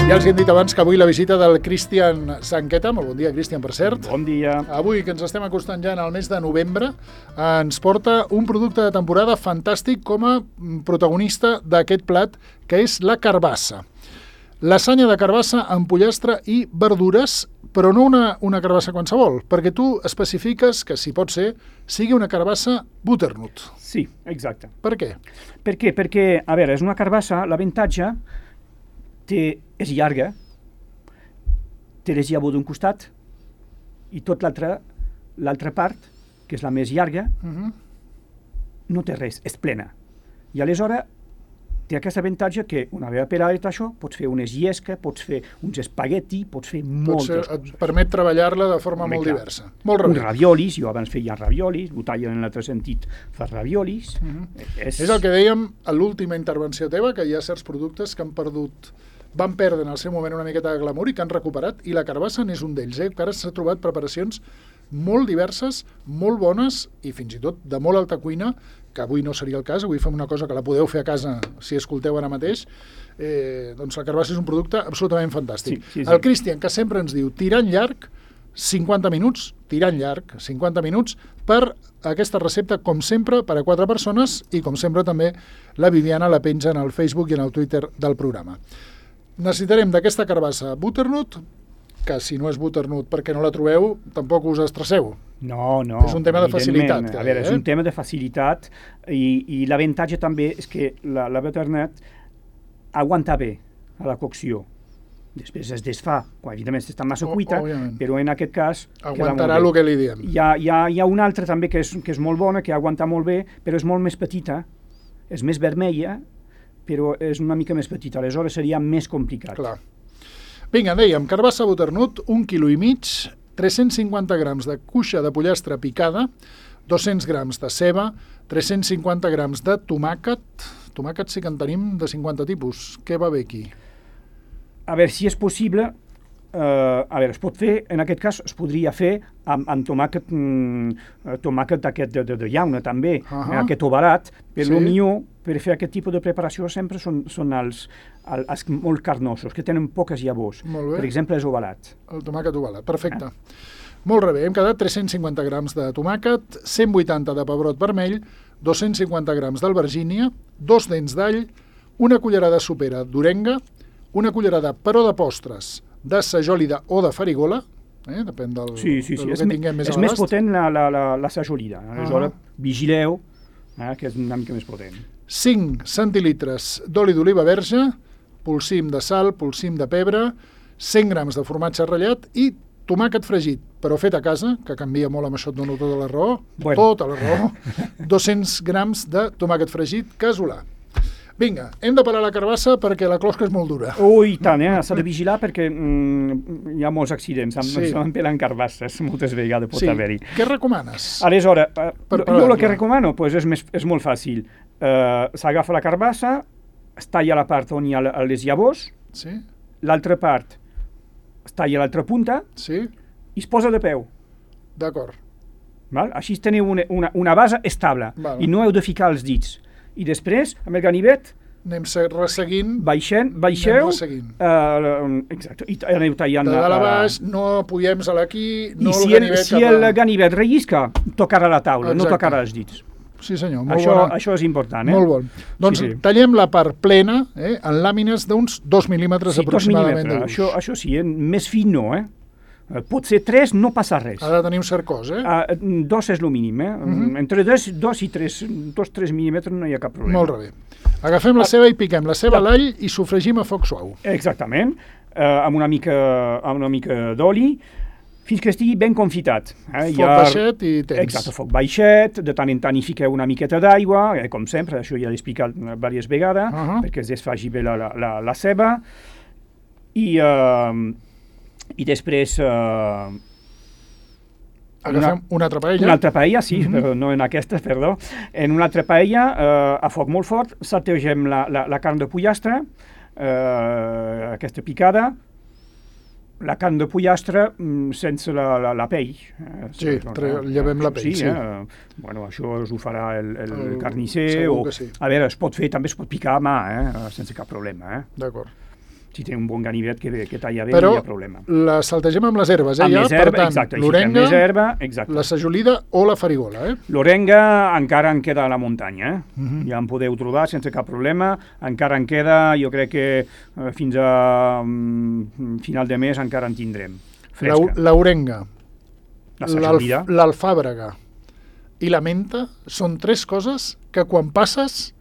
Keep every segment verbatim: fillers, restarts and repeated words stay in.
Ja els hem dit abans que avui la visita del Cristian Sanqueta, molt bon dia, Cristian, per cert. Bon dia. Avui, que ens estem acostant ja en el mes de novembre, ens porta un producte de temporada fantàstic com a protagonista d'aquest plat, que és la carbassa. Lasanya de carbassa amb pollastre i verdures, però no una, una carbassa qualsevol, perquè tu especifiques que, si pot ser, sigui una carbassa butternut. Sí, exacte. Per què? Per què? Perquè, a veure, és una carbassa, l'avantatge té, és llarga, té les llavors d'un costat i tot l'altra, l'altra part, que és la més llarga, Uh-huh. no té res, és plena. I aleshores té aquest avantatge que una vegada per ara això, pots fer unes llesques, pots fer uns espagueti, pots fer moltes Potser coses. et permet treballar-la de forma Home, molt clar. diversa. Molt Uns rebé. raviolis, jo abans feia raviolis, ho tallen en l'altre sentit, fa raviolis. Uh-huh. és... És el que dèiem a l'última intervenció teva, que hi ha certs productes que han perdut, van perdre en el seu moment una miqueta de glamour i que han recuperat, i la carbassa n'és un d'ells, eh? que ara s'ha trobat preparacions molt diverses, molt bones i fins i tot de molt alta cuina, que avui no seria el cas, avui fem una cosa que la podeu fer a casa si escolteu ara mateix. Eh, doncs la carbassa és un producte absolutament fantàstic. Sí, sí, sí. El Cristian, que sempre ens diu tirant llarg, cinquanta minuts, tirant llarg, cinquanta minuts, per aquesta recepta, com sempre, per a quatre persones, i com sempre també la Viviana la penja en el Facebook i en el Twitter del programa. Necessitarem d'aquesta carbassa butternut, que si no és butternut perquè no la trobeu, tampoc us estresseu. No, no. És un tema de facilitat, evidentment. que A veure, deia, és eh? un tema de facilitat i, i l'avantatge també és que la, la butternut aguanta bé a la cocció. Després es desfà, quan evidentment està massa O- cuita, òbviament. però en aquest cas Aguantarà el que li diem. Hi ha, hi, ha, hi ha una altra també que és, que és molt bona, que aguanta molt bé, però és molt més petita, és més vermella, però és una mica més petita, aleshores seria més complicat. Clar. Vinga, dèiem, carbassa butternut, un quilo i mig, tres-cents cinquanta grams de cuixa de pollastre picada, dos-cents grams de ceba, tres-cents cinquanta grams de tomàquet. Tomàquet sí que en tenim de cinquanta tipus. Què va bé aquí? A veure, si és possible, eh, a veure, es pot fer, en aquest cas es podria fer amb, amb tomàquet, mm, tomàquet aquest de, de, de llauna també, Ahà. eh, aquest ovalat, però Sí. el millor per fer aquest tipus de preparació sempre són, són els, els, els molt carnosos, que tenen poques llavors. Molt bé. Per exemple, és ovalat. El tomàquet ovalat, perfecte. Molt rebé, hem quedat tres-cents cinquanta grams de tomàquet, cent vuitanta de pebrot vermell, dos-cents cinquanta grams d'albergínia, dos dents d'all, una cullerada sopera d'orenga, una cullerada, però de postres, de sajolida o de farigola, eh? depèn del, Sí, sí, sí. del És, que me- tinguem més és a més l'abast. potent la, la, la, la sajolida. Aleshores, Ah. vigileu, eh, que és una mica més potent. cinc centilitres d'oli d'oliva verge, polsim de sal, polsim de pebre, cent grams de formatge ratllat i tomàquet fregit, però fet a casa, que canvia molt amb això, et dono tota la raó, Bueno. tota la raó, dos-cents grams de tomàquet fregit casolà. Vinga, hem de parar la carbassa perquè la closca és molt dura. Ui, tant, eh? S'ha de vigilar perquè mm, hi ha molts accidents, amb, Sí. sí. amb pelant carbasses, moltes vegades pot Sí. haver-hi. Què recomanes? Aleshores, eh, Per jo parar-la. el que recomano pues, és, més, és molt fàcil. Eh, S'agafa la carbassa, es talla la part on hi ha la- les llavors, Sí? l'altra part es talla l'altra punta Sí? i es posa de peu. D'acord. Val? Així teniu una, una, una base estable Val. i no heu de ficar els dits. I després, amb el ganivet, Anem se- resseguint baixen, Anem baixeu, resseguint. eh, exacte, i t- aneu tallant... de dalt a eh, baix, no apoyem a l'aquí, no I si el el, ganivet si cap el a... ganivet rellisca, tocarà la taula, Exacte. no tocarà els dits. Sí senyor, molt Això, bona. això és important, eh? Molt bon. Doncs Sí, sí. tallem la part plena eh, en làmines d'uns dos mil·límetres Sí, dos aproximadament de mil·límetres. gruix. Això, això sí, eh? Més fi no, eh? Eh, Pot ser tres, no passa res. Ha de tenir un cert cos, eh? Ah, dos és el mínim, eh? Mhm. Entre dos, dos i tres, dos, tres mil·límetres no hi ha cap problema. Molt bé. Agafem la ceba i piquem la ceba a Ja. l'all i sofregim a foc suau. Exactament, eh, amb una mica, amb una mica d'oli, fins que estigui ben confitat. Eh? Foc baixet i temps. Exacte, foc baixet, de tant en tant hi fiqueu una miqueta d'aigua, eh, com sempre, això ja l'he explicat diverses vegades, Uh-huh. perquè es desfaci bé la, la, la, la ceba, i, eh, i després eh, Agafem una altra paella. una altra paella, sí, Mhm. però no en aquesta, perdó. En una altra paella, eh, a foc molt fort, saltegem la, la, la carn de pollastre, eh, aquesta picada, la carn de pollastre mm, sense la, la, la pell. Eh, Sí, tre- llevem la pell, sí. Eh, bueno, això us ho farà el, el, El- carnisser. segur O, que sí. A veure, es pot fer, també es pot picar a mà, eh, sense cap problema. Eh. D'acord. si té un bon ganivet que, que talla bé, Però no hi ha problema. la saltegem amb les herbes, eh? Amb Ja, les herbes, per tant, exacte, l'orenga, més herba, exacte. la sajolida o la farigola, eh? L'orenga encara en queda a la muntanya, eh? Mhm. Ja en podeu trobar sense cap problema, encara en queda, jo crec que eh, fins a mm, final de mes encara en tindrem, fresca. La- L'orenga, La sajolida. l'alf- l'alfàbrega i la menta són tres coses que quan passes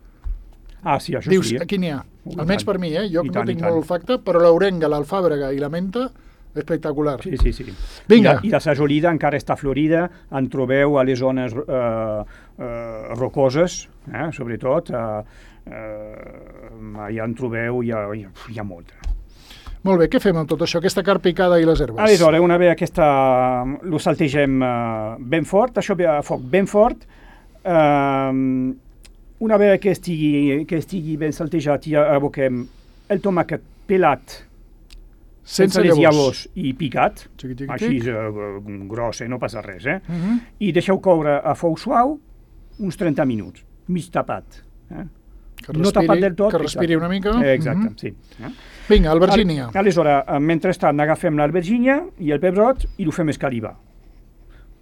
Ah, sí, això dius, sí. Eh? aquí n'hi ha. Uh, Almenys tant. per mi, eh? Jo I no tant, i tinc tant. molt olfacte, però l'orenga, l'alfàbrega i la menta, espectacular. Sí, sí, sí. Vinga. I la, I la sajolida encara està florida, en trobeu a les zones eh, eh, rocoses, eh, sobretot, eh, eh, allà en trobeu, hi ha, hi ha, hi ha molta. Molt bé, què fem amb tot això, aquesta carn picada i les herbes? Aleshores, una vegada aquesta, lo saltegem eh, ben fort, això ve a foc ben fort, eh, una vegada que estigui, que estigui ben saltejat, ja aboquem el tomàquet pelat, sense les llavors. llavors i picat, Xiqui, xiqui, així xic. eh, gros, eh, no passa res, eh? Uh -huh. I deixeu coure a foc suau uns trenta minuts, mig tapat. Eh? Que no respiri, tapat del tot. que respiri una mica. Eh, Exacte, Uh -huh. sí. Eh? Vinga, albergínia. Al- Aleshores, eh, mentrestant, agafem l'albergínia i el pebrot i ho fem escalivar.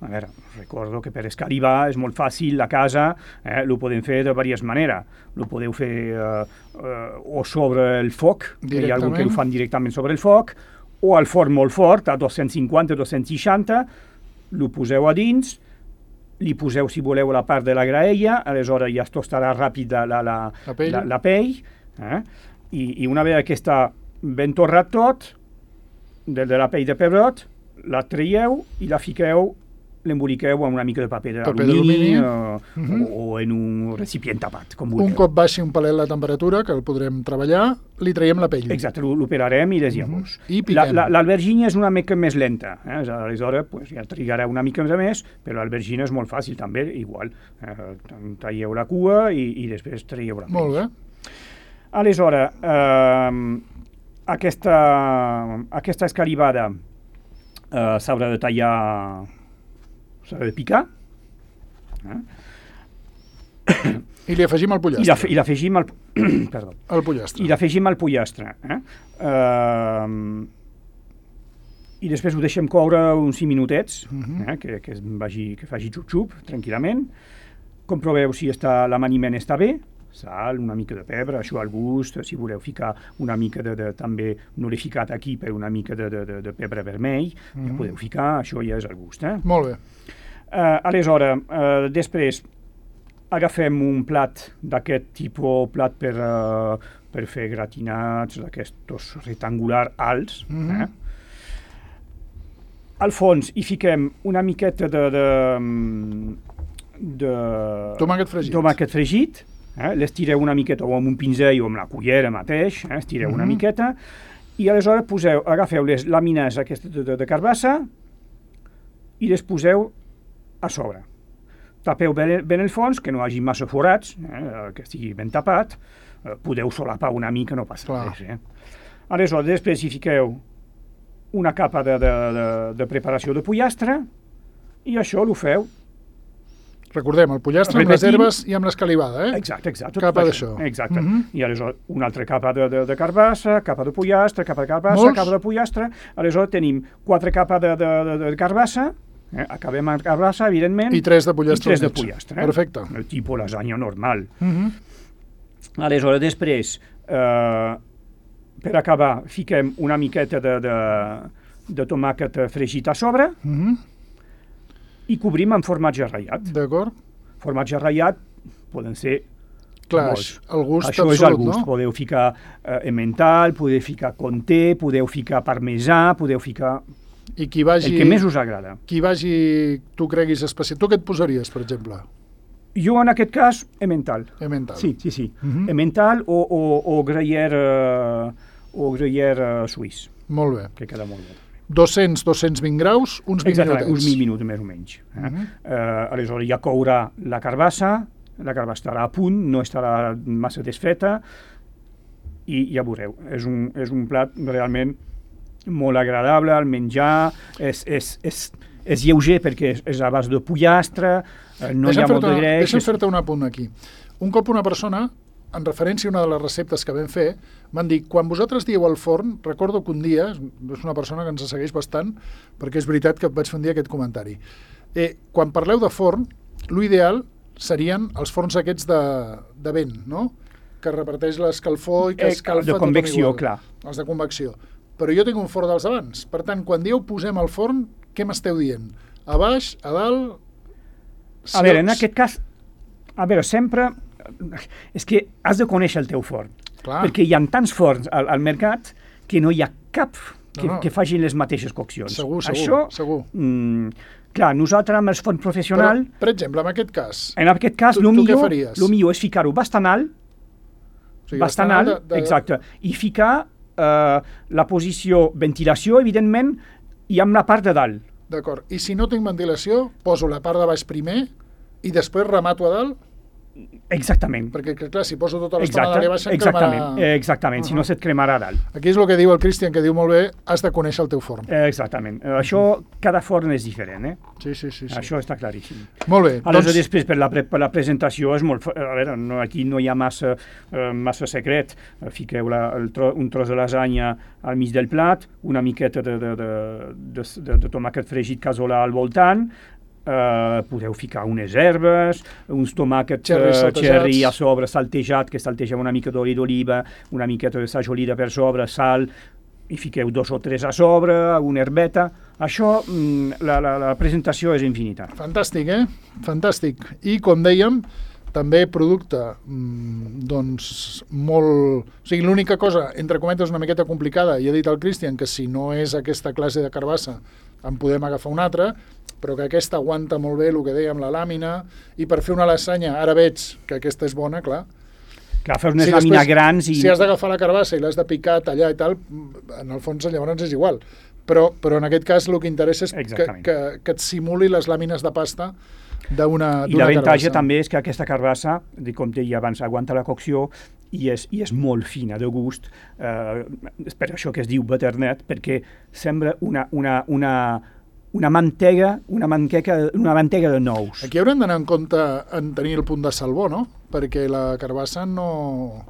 A veure, recordo que per escalivar és molt fàcil a casa, eh, ho podem fer de diverses maneres. Ho podeu fer eh, eh, o sobre el foc, que hi ha algú que ho fan directament sobre el foc, o al forn molt fort, a dos-cents cinquanta dos-cents seixanta, ho poseu a dins, li poseu, si voleu, la part de la graella, aleshores ja es tostarà ràpid la, la, la, La pell. la, la pell, eh? I, i una vegada que està ben torrat tot, de, de la pell de pebrot, la traieu i la fiqueu, l'emboliqueu amb una mica de paper Paper d'alumini d'alumini. o, Mhm. o, o en un recipient tapat, com vulgueu. Un cop baixi un palet la temperatura, que el podrem treballar, li traiem la pell. Exacte, l'o- l'operarem i les llavors. I La- piquem. la- L'albergínia és una mica més lenta, eh? Aleshores pues, ja trigarà una mica més, però l'albergínia és molt fàcil també, igual. Eh, talleu la cua i, i després traieu la pell. Molt bé. Aleshores, eh, aquesta, aquesta escalivada eh, s'haurà de tallar, s'haurà de picar, eh? I li afegim el I la- pollastre. i l'afegim al, perdó, El pollastre. i l'afegim al pollastre. Eh? Eh, I després ho deixem coure uns cinc minutets, Mhm. eh? que, que, es vagi, que faci xup-xup, tranquil·lament. Comproveu si està, l'amaniment està bé, sal, una mica de pebre, això al gust, si voleu ficar una mica de, de també, no l'he ficat aquí, però una mica de, de, de, de pebre vermell, Mhm. ja podeu ficar, això ja és al gust. Eh? Molt bé. Uh, aleshores, uh, després agafem un plat d'aquest tipus, plat per, uh, per fer gratinats, d'aquestos rectangular alts. Mhm. eh? Al fons hi fiquem una miqueta de... de, de Tomàquet fregit. tomàquet fregit, eh? l'estireu una miqueta o amb un pinzell o amb la cullera mateix, eh? estireu una Mhm. miqueta, i aleshores poseu, agafeu les làmines aquestes de, de, de carbassa i les poseu a sobre. Tapeu ben, ben el fons, que no hi hagi massa forats, eh, que estigui ben tapat, eh, podeu solapar una mica, no passa Clar. res. Eh? Aleshores, després hi fiqueu una capa de, de, de, de preparació de pollastre i això ho feu. Recordem, el pollastre amb les Repetim. herbes i amb l'escalivada, eh? Exacte, exacte. tot Capa això. d'això. Exacte. Mhm. I aleshores una altra capa de, de, de carbassa, capa de pollastre, capa de carbassa, Molts. capa de pollastre. Aleshores tenim quatre capes de, de, de, de carbassa, eh? acabem amb carbassa, evidentment, I tres de pollastre. i tres de al mig. pollastre. Eh? Perfecte. El tipus lasagna normal. Mhm. Aleshores, després, eh, per acabar, fiquem una miqueta de, de, de tomàquet fregit a sobre Mhm. i cobrim amb formatge ratllat. D'acord? Formatge ratllat poden ser Clar, molts. el gust Això absolut, és el gust. no? Podeu ficar eh, emmental, podeu ficar comté, podeu ficar parmesà, podeu ficar I qui vagi, el que més us agrada. qui vagi, tu creguis especial. Tu què et posaries, per exemple? Jo, en aquest cas, emmental. Emmental. Sí, sí, sí. Mhm. Emmental o, o, o gruyère, eh, o gruyère eh, suís, Molt bé. que queda molt bé. dos-cents a dos-cents vint graus, uns vint Exactament, minutets. uns vint minuts més o menys. Eh? Mhm. eh, aleshores ja courà la carbassa, la carbassa estarà a punt, no estarà massa desfeta, i ja veureu, és un, és un plat realment molt agradable al menjar, és, és, és, és lleuger perquè és, és a base de pollastre, eh, no Deixa'm hi ha molt fer-te de greix. deixa'm és- fer-te un apunt aquí. Un cop una persona en referència a una de les receptes que vam fer, m'han dit, quan vosaltres dieu al forn, recordo que un dia, és una persona que ens segueix bastant, perquè és veritat que vaig fer un dia aquest comentari, eh, quan parleu de forn, l'ideal serien els forns aquests de, de vent, no? Que reparteix l'escalfor i que Eh, escalfa de tothom convecció, igual. clar. Els de convecció. Però jo tinc un forn dels abans. Per tant, quan dieu posem al forn, què m'esteu dient? A baix, a dalt... Si A veure, en els- aquest cas, a veure, sempre... És que has de conèixer el teu forn. Clar. Perquè hi ha tants forns al, al mercat que no hi ha cap que, No, no. que facin les mateixes coccions. Segur, segur, Això, segur. Mm, clar, nosaltres amb el forn Però, professional, per exemple, en aquest cas, en aquest cas, Tu- el tu què millor, faries? lo millor és ficar-ho bastant alt, o sigui, bastant bastant alt, de- de- exacte, i ficar eh, la posició ventilació, evidentment, i amb la part de dalt. D'acord. I si no tinc ventilació, poso la part de baix primer i després remato a dalt? Exactament. Perquè, que, clar, si poso tota l'estona Exacte, dalt i baix, em exactament, cremarà... eh, exactament, si no se't cremarà a dalt. Aquí és el que diu el Cristian, que diu molt bé, has de conèixer el teu forn. Eh, exactament. Eh, això, cada forn és diferent, eh? Sí, sí, sí. sí. Això està claríssim. Molt bé. Aleshores, Doncs, després, per la, pre per la presentació, és molt... fa- A veure, no, aquí no hi ha massa, eh, massa secret. Eh, Fiqueu la, el tro un tros de lasanya al mig del plat, una miqueta de, de, de, de, de, de tomàquet fregit casolà al voltant, Uh, podeu ficar unes herbes, uns tomàquets Cherries uh, saltejats. cherry a sobre, saltejat, que saltegeu una mica d'oli d'oliva, una miqueta de sajolida per sobre, sal, i fiqueu dos o tres a sobre, una herbeta. Això, mm, la, la, la presentació és infinita. fantàstic, eh? Fantàstic. I, com dèiem, també producte, mm, doncs, molt... O sigui, l'única cosa, entre cometes, una miqueta complicada, i ha dit el Cristian que si no és aquesta classe de carbassa, en podem agafar una altra, però que aquesta aguanta molt bé el que dèiem, la làmina, i per fer una lasanya, ara veig que aquesta és bona, clar. Clar, fer unes Si làmines després- grans i... Si has d'agafar la carbassa i l'has de picar, tallar i tal, en el fons llavors és igual. Però, però en aquest cas el que interessa és que, Exactament. que, que et simuli les làmines de pasta d'una I d'una l'avantatge carbassa. també és que aquesta carbassa, de com deia abans, aguanta la cocció i és, i és molt fina de gust. Eh, és per això que es diu butternut, perquè sembla una, una, una, una mantega, una mantega, una mantega de nous. Aquí haurem d'anar en compte en tenir el punt de salvó, no? Perquè la carbassa no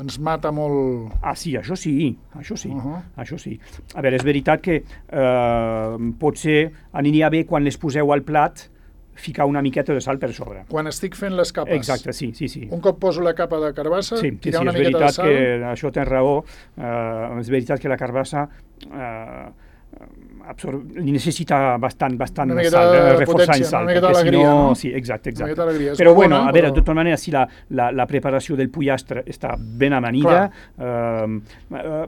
ens mata molt... Ah, sí, això sí, això sí, Uh -huh. això sí. A veure, és veritat que eh, potser aniria bé quan les poseu al plat ficar una miqueta de sal per sobre. Quan estic fent les capes, Exacte, sí, sí, sí. un cop poso la capa de carbassa, Sí, sí, tirar sí, una és miqueta de veritat sal... que això tens raó. Uh, és veritat que la carbassa uh, absor... li necessita bastant, bastant Una miqueta sal, de eh, reforçar potència, en sal. una miqueta perquè si d'alegria, no? Sí, exacte, Una exacte. miqueta d'alegria. És Però bona, bueno, a veure, però- de tota manera, si la, la, la preparació del pollastre està ben amanida, uh, uh,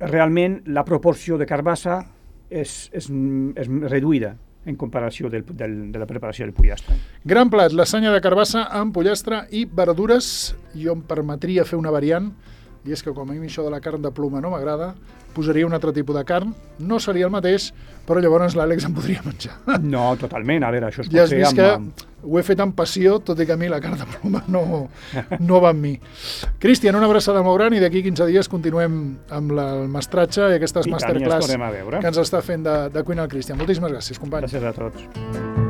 realment la proporció de carbassa és, és, és reduïda en comparació del, del, de la preparació del pollastre. Gran plat, lasanya de carbassa amb pollastre i verdures. Jo em permetria fer una variant, i és que com a mi això de la carn de ploma no m'agrada, posaria un altre tipus de carn. No seria el mateix, però llavors l'Àlex em podria menjar. No, totalment, a veure, això es Ja pot has fer vist amb... que amb... ho he fet amb passió, tot i que a mi la carn de ploma no, no va amb mi. Cristian, una abraçada molt gran i d'aquí quinze dies continuem amb la, el mestratge i aquestes I tant, ja ens masterclass tornem a veure. que ens està fent de, de cuina el Cristian. Moltíssimes gràcies, company. Gràcies a tots.